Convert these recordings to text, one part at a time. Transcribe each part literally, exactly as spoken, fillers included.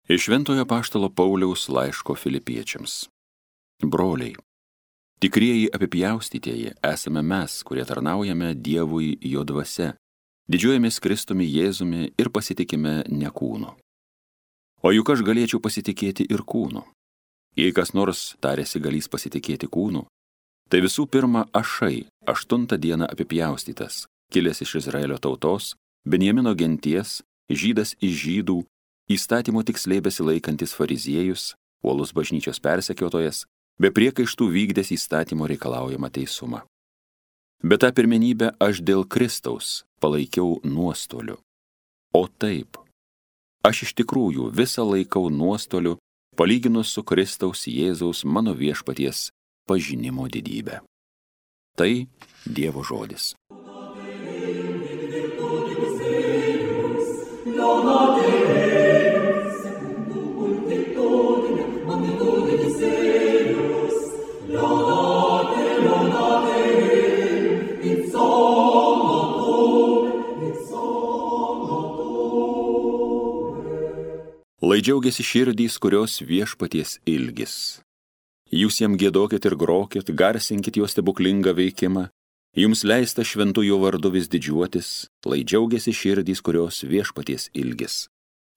Iš Šventojo Apaštalo Pauliaus laiško Filipiečiams. Broliai, tikrieji apipjaustytieji esame mes, kurie tarnaujame Dievui jo dvasia, didžiuojamės Kristumi Jėzumi ir pasitikime ne kūnu. O juk aš galėčiau pasitikėti ir kūnu. Jei kas nors tarėsi galys pasitikėti kūnu, tai visų pirma ašai, aštuntą dieną apipjaustytas, kilęs iš Izraelio tautos, Benjamino genties, žydas iš žydų, įstatymo tiksliai besilaikantis fariziejus, uolus bažnyčios persekiotojas, be priekaištų vykdęs įstatymo reikalaujamą teisumą. Bet tą pirmenybę aš dėl Kristaus palaikiau nuostoliu. O taip, aš iš tikrųjų visą laikau nuostoliu, palyginus su Kristaus Jėzaus mano viešpaties pažinimo didybę. Tai Dievo žodis. Lai džiaugiasi širdys, kurios viešpaties ilgis. Jūs jam giedokit ir grokit, garsinkit jo stebuklingą veikimą, jums leista šventųjų vardu vis didžiuotis, lai džiaugiasi širdys, kurios viešpaties ilgis.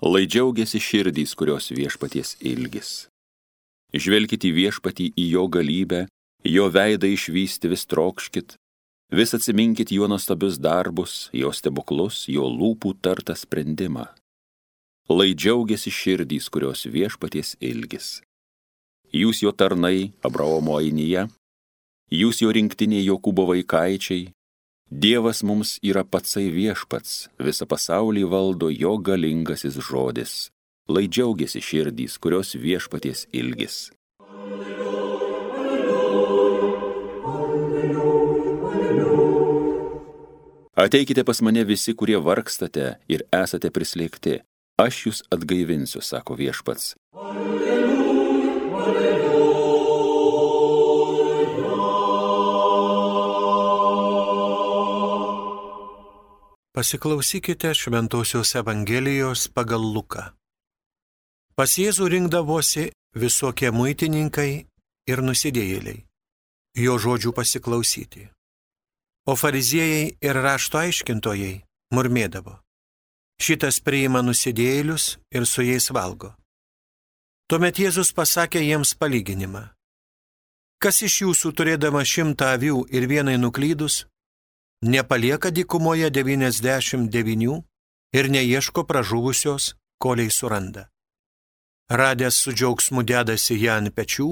Lai džiaugiasi širdys, kurios viešpaties ilgis. Žvelkit į viešpatį, į jo galybę, jo veidą išvysti vis trokškit, vis atsiminkit jo nuostabius darbus, jo stebuklus, jo lūpų tartą sprendimą. Lai džiaugiasi širdys, kurios viešpaties ilgis. Jūs jo tarnai, Abraomo ainyje, jūs jo rinktiniai Jokūbo vaikaičiai, Dievas mums yra patsai viešpats, visą pasaulį valdo jo galingasis žodis. Lai džiaugiasi širdys, kurios viešpaties ilgis. Ateikite pas mane visi, kurie vargstate ir esate prislėgti. Aš jūs atgaivinsiu, sako viešpats. Pasiklausykite Šventosios Evangelijos pagal Luką. Pas Jėzų rinkdavosi visokie muitininkai ir nusidėjėliai, jo žodžių pasiklausyti. O fariziejai ir rašto aiškintojai murmėdavo: šitas priima nusidėjėlius ir su jais valgo. Tuomet Jėzus pasakė jiems palyginimą. Kas iš jūsų turėdama šimtą avių ir vienai nuklydus, nepalieka dykumoje devyniasdešimt devynių ir neieško pražuvusios, kolei suranda. Radęs su džiaugsmu dedasi ją ant pečių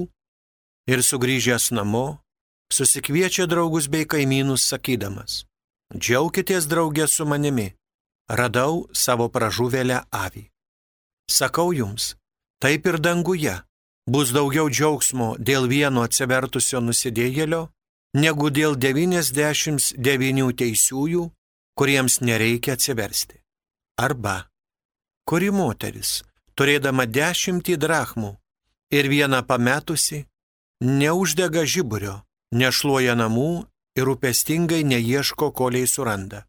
ir sugrįžęs namo, susikviečia draugus bei kaimynus sakydamas: džiaukitės drauge su manimi, radau savo pražuvėlę avį. Sakau jums, taip ir danguje bus daugiau džiaugsmo dėl vieno atsivertusio nusidėjėlio, negu dėl devyniasdešimt devynių teisiųjų, kuriems nereikia atsiversti. Arba, kuri moteris, turėdama dešimtį drachmų ir vieną pametusi, neuždega žiburio, nešluoja namų ir rūpestingai neieško, kolei suranda.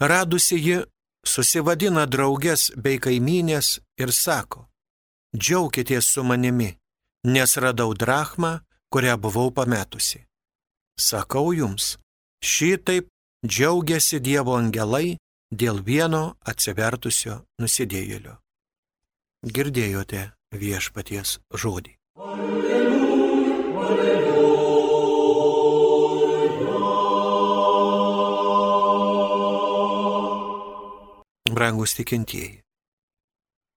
Radusi ji, susivadina drauges bei kaimynės ir sako: džiaukitės su manimi, nes radau drachmą, kurią buvau pametusi. Sakau jums, šitaip džiaugiasi Dievo angelai dėl vieno atsivertusio nusidėjėlio. Girdėjote viešpaties žodį. Alleluja, alleluja. Brangus tikintieji,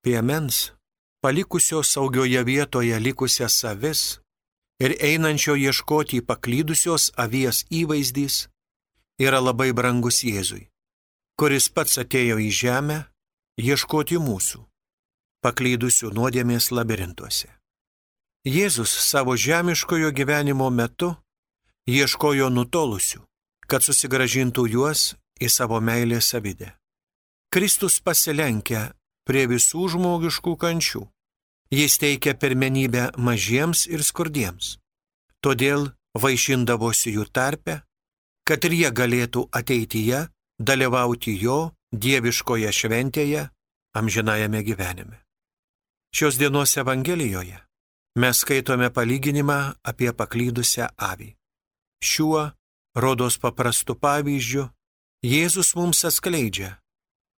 piemens, palikusio saugioje vietoje likusias avis ir einančio ieškoti paklydusios avies įvaizdys yra labai brangus Jėzui, kuris pats atėjo į žemę ieškoti mūsų, paklydusių nuodėmės labirintuose. Jėzus savo žemiškojo gyvenimo metu ieškojo nutolusių, kad susigrąžintų juos į savo meilės savidę. Kristus pasilenkia prie visų žmogiškų kančių. Jis teikia pirmenybę mažiems ir skurdiems. Todėl vaišindavosi jų tarpe, kad ir jie galėtų ateityje dalyvauti jo dieviškoje šventėje amžinajame gyvenime. Šios dienos Evangelijoje mes skaitome palyginimą apie paklydusią avį. Šiuo, rodos paprastu pavyzdžiu, Jėzus mums atskleidžia,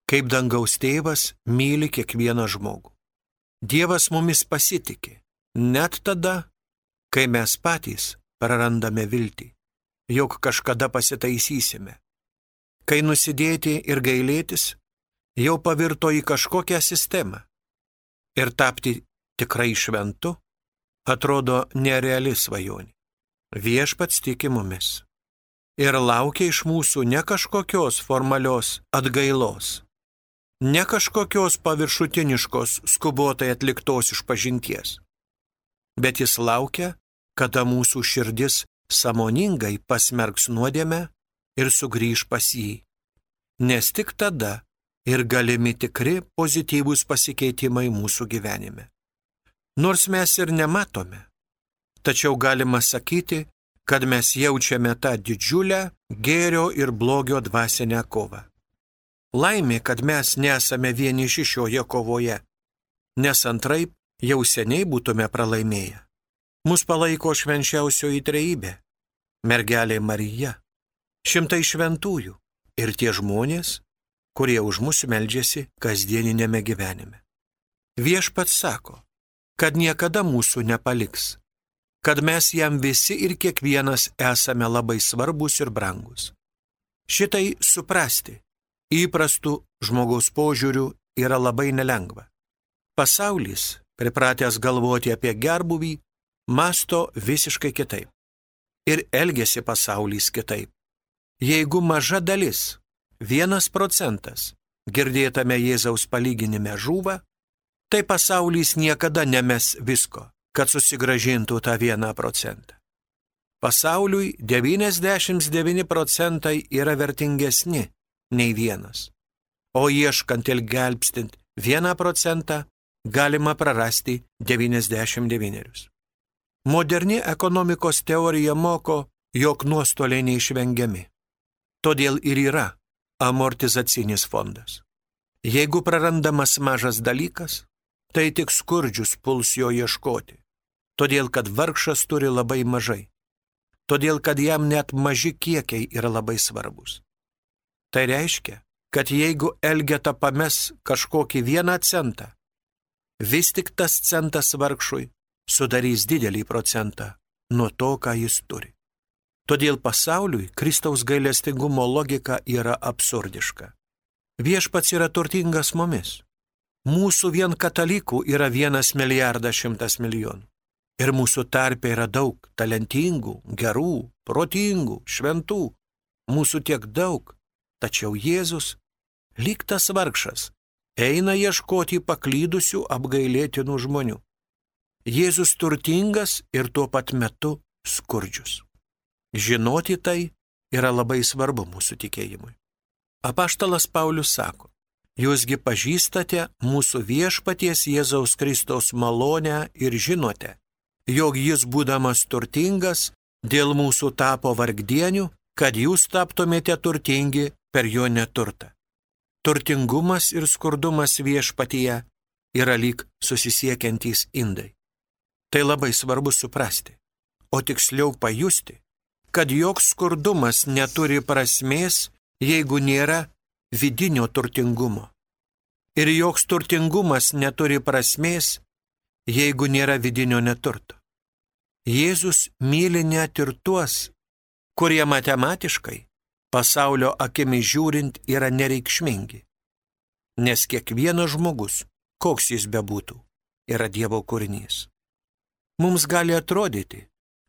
kaip dangaus tėvas myli kiekvieną žmogų. Dievas mumis pasitikė, net tada, kai mes patys prarandame viltį, jog kažkada pasitaisysime. Kai nusidėti ir gailėtis jau pavirto į kažkokią sistemą ir tapti tikrai šventu atrodo nereali svajonė. Viešpats tiki mumis ir laukia iš mūsų ne kažkokios formalios atgailos, ne kažkokios paviršutiniškos skubotai atliktos išpažinties, bet jis laukia, kada mūsų širdis sąmoningai pasmerks nuodėmę ir sugrįž pas jį, nes tik tada ir galimi tikri pozityvūs pasikeitimai mūsų gyvenime. Nors mes ir nematome, tačiau galima sakyti, kad mes jaučiame tą didžiulę gėrio ir blogio dvasinę kovą. Laimė, kad mes nesame vieniši šioje kovoje, nes antraip jau seniai būtume pralaimėję. Mus palaiko švenčiausioji trejybė, mergelė Marija, šimtai šventųjų ir tie žmonės, kurie už mus meldžiasi kasdieninėme gyvenime. Viešpats sako, kad niekada mūsų nepaliks, kad mes jam visi ir kiekvienas esame labai svarbus ir brangus. Šitai suprasti įprastų žmogaus požiūrių yra labai nelengva. Pasaulis, pripratęs galvoti apie gerbūvį, masto visiškai kitaip. Ir elgiasi pasaulis kitaip. Jeigu maža dalis, vienas procentas, girdėtame Jėzaus palyginime žūva, tai pasaulis niekada nemes visko, kad susigrąžintų tą vieną procentą. Pasauliui devyniasdešimt devyni procentai yra vertingesni nei vienas, o ieškant ir gelbstint vieną procentą galima prarasti devyniasdešimt devynis. Moderni ekonomikos teorija moko, jog nuostoliai neišvengiami. Todėl ir yra amortizacinis fondas. Jeigu prarandamas mažas dalykas, tai tik skurdžius puls jo ieškoti, todėl kad vargšas turi labai mažai, todėl kad jam net maži kiekiai yra labai svarbus. Tai reiškia, kad jeigu Elgeta pames kažkokį vieną centą, vis tik tas centas vargšui sudarys didelį procentą nuo to, ką jis turi. Todėl pasauliui Kristaus gailestingumo logika yra absurdiška. Viešpats yra turtingas mumis. Mūsų vien katalikų yra vienas milijardas šimtas milijonų. Ir mūsų tarpe yra daug talentingų, gerų, protingų, šventų. Mūsų tiek daug, tačiau Jėzus, lyg tas vargšas, eina ieškoti paklydusių apgailėtinų žmonių. Jėzus turtingas ir tuo pat metu skurdžius. Žinoti tai yra labai svarbu mūsų tikėjimui. Apaštalas Paulius sako, jūsgi pažįstate mūsų viešpaties Jėzaus Kristaus malonę ir žinote, jog jis būdamas turtingas dėl mūsų tapo vargdienių, kad jūs taptumėte turtingi per jo neturtą. Turtingumas ir skurdumas viešpatyje yra lyg susisiekiantys indai. Tai labai svarbu suprasti, o tiksliau pajusti, kad joks skurdumas neturi prasmės, jeigu nėra vidinio turtingumo. Ir joks turtingumas neturi prasmės, jeigu nėra vidinio neturto. Jėzus myli net ir tuos, kurie matematiškai, pasaulio akimi žiūrint, yra nereikšmingi. Nes kiekvienas žmogus, koks jis bebūtų, yra Dievo kūrinys. Mums gali atrodyti,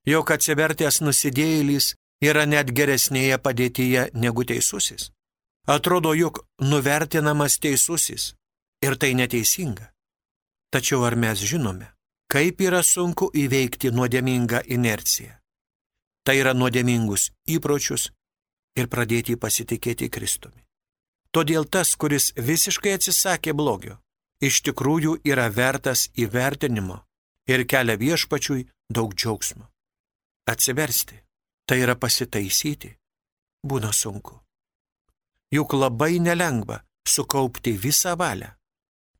jog atsivertęs nusidėjėlis yra net geresnėje padėtyje negu teisusis. Atrodo, jog nuvertinamas teisusis ir tai neteisinga. Tačiau ar mes žinome, kaip yra sunku įveikti nuodėmingą inerciją? Tai yra nuodėmingus įpročius ir pradėti pasitikėti Kristumi. Todėl tas, kuris visiškai atsisakė blogio, iš tikrųjų yra vertas įvertinimo ir kelia viešpačiui daug džiaugsmo. Atsiversti, tai yra pasitaisyti, būna sunku. Juk labai nelengva sukaupti visą valią,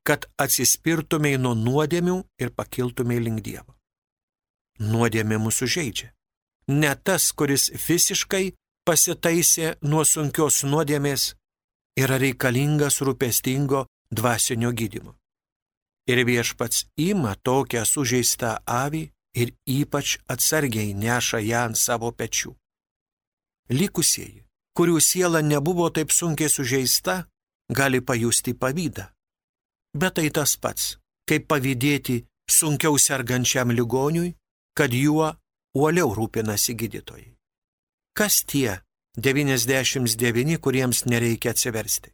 kad atsispirtumei nuo nuodėmių ir pakiltumei link Dievo. Nuodėmė mūsų žeidžia. Ne tas, kuris visiškai pasitaisė nuo sunkios nuodėmės, yra reikalingas rūpestingo dvasinio gydymo. Ir Viešpats ima tokią sužeistą avį ir ypač atsargiai neša ją ant savo pečių. Likusieji, kurių siela nebuvo taip sunkiai sužeista, gali pajusti pavydą. Bet tai tas pats, kaip pavydėti sunkiau sergančiam ligoniui, kad juo uoliau rūpinasi gydytojai. Kas tie devyniasdešimt devyni, kuriems nereikia atsiversti?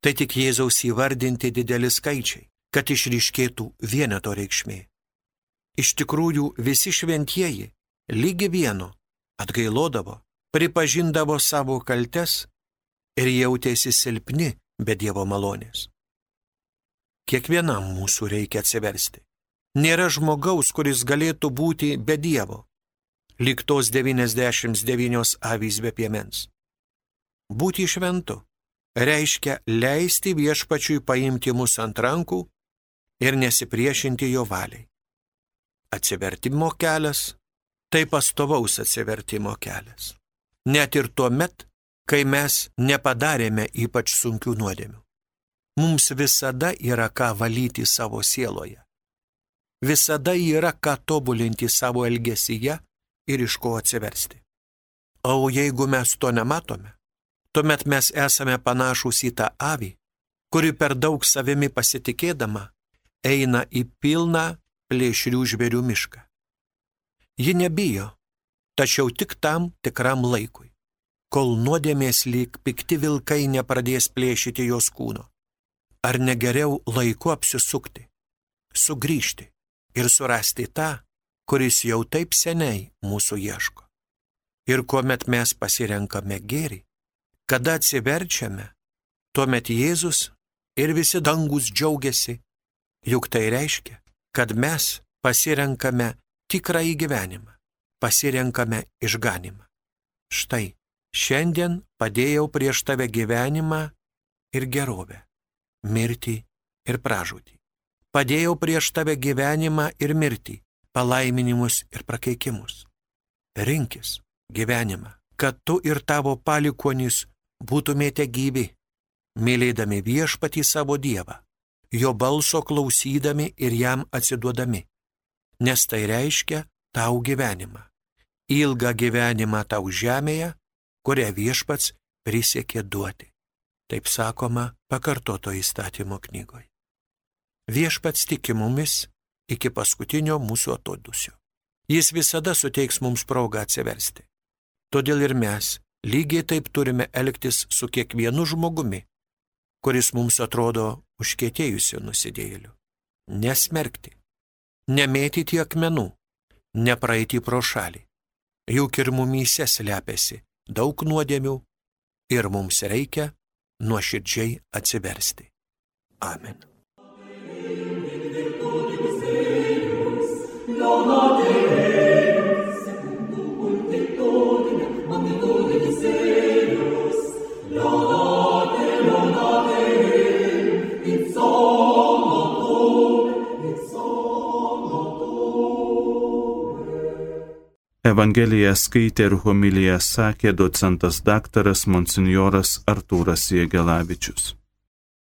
Tai tik Jėzaus įvardinti dideli skaičiai, kad išryškėtų vieneto reikšmė. Iš tikrųjų visi šventieji lygi vieno atgailodavo, pripažindavo savo kaltes ir jautėsi silpni be Dievo malonės. Kiekvienam mūsų reikia atsiversti. Nėra žmogaus, kuris galėtų būti be Dievo, lyg tos devyniasdešimt devynios avys be piemens. Būti šventu reiškia leisti Viešpačiui paimti mus ant rankų ir nesipriešinti jo valiai. Atsivertimo kelias – tai pastovaus atsivertimo kelias. Net ir tuo met, kai mes nepadarėme ypač sunkių nuodėmių. Mums visada yra ką valyti savo sieloje. Visada yra ką tobulinti savo elgesyje ir iš ko atsiversti. O jeigu mes to nematome, tuomet mes esame panašūs į tą avį, kuri per daug savimi pasitikėdama eina į pilną plėšrių žvėrių mišką. Ji nebijo, tačiau tik tam tikram laikui, kol nuodėmės lyg pikti vilkai nepradės plėšyti jos kūno. Ar negeriau laiku apsisukti, sugrįžti ir surasti tą, kuris jau taip seniai mūsų ieško. Ir kuomet mes pasirenkame gėrį, kada atsiverčiame, tuomet Jėzus ir visi dangus džiaugiasi, juk tai reiškia, kad mes pasirenkame tikrąjį gyvenimą, pasirenkame išganimą. Štai, šiandien padėjau prieš tave gyvenimą ir gerovę, mirtį ir pražūtį. Padėjau prieš tave gyvenimą ir mirtį, palaiminimus ir prakeikimus. Rinkis gyvenimą, kad tu ir tavo palikuonys būtumėte gyvi, mylėdami Viešpatį savo Dievą, jo balso klausydami ir jam atsiduodami, nes tai reiškia tau gyvenimą, ilgą gyvenimą tau žemėje, kurią Viešpats prisiekė duoti. Taip sakoma pakartoto įstatymo knygoje. Viešpats tiki mumis iki paskutinio mūsų atodūsio. Jis visada suteiks mums progą atsiversti. Todėl ir mes lygiai taip turime elgtis su kiekvienu žmogumi, kuris mums atrodo užkietėjusiu nusidėjėliu. Nesmerkti, nemėtyti akmenų, nepraeiti pro šalį. Juk ir mumyse slepiasi daug nuodėmių ir mums reikia nuoširdžiai atsiversti. Amen. Evangeliją skaitė ir homiliją sakė docentas daktaras monsinjoras Artūras Jėgelavičius.